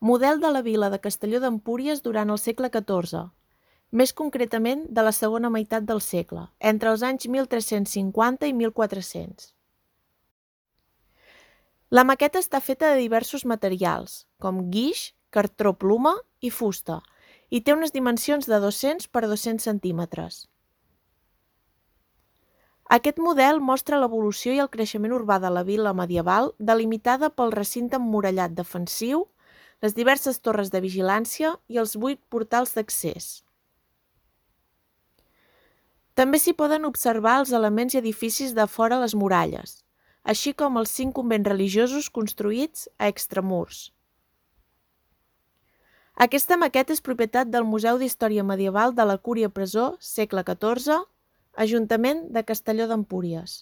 model de la vila de Castelló d'Empúries durant el segle XIV, més concretament de la segona meitat del segle, entre els anys 1350 i 1400. La maqueta està feta de diversos materials, com guix, cartró ploma i fusta, i té unes dimensions de 200 per 200 centímetres. Aquest model mostra l'evolució i el creixement urbà de la vila medieval delimitada pel recinte emmurallat defensiu, les diverses torres de vigilància i els 8 portals d'accés. També s'hi poden observar els elements i edificis de fora les muralles, així com els 5 convents religiosos construïts a extramurs. Aquesta maqueta és propietat del Museu d'Història Medieval de la Cúria Presó, segle XIV, Ajuntament de Castelló d'Empúries.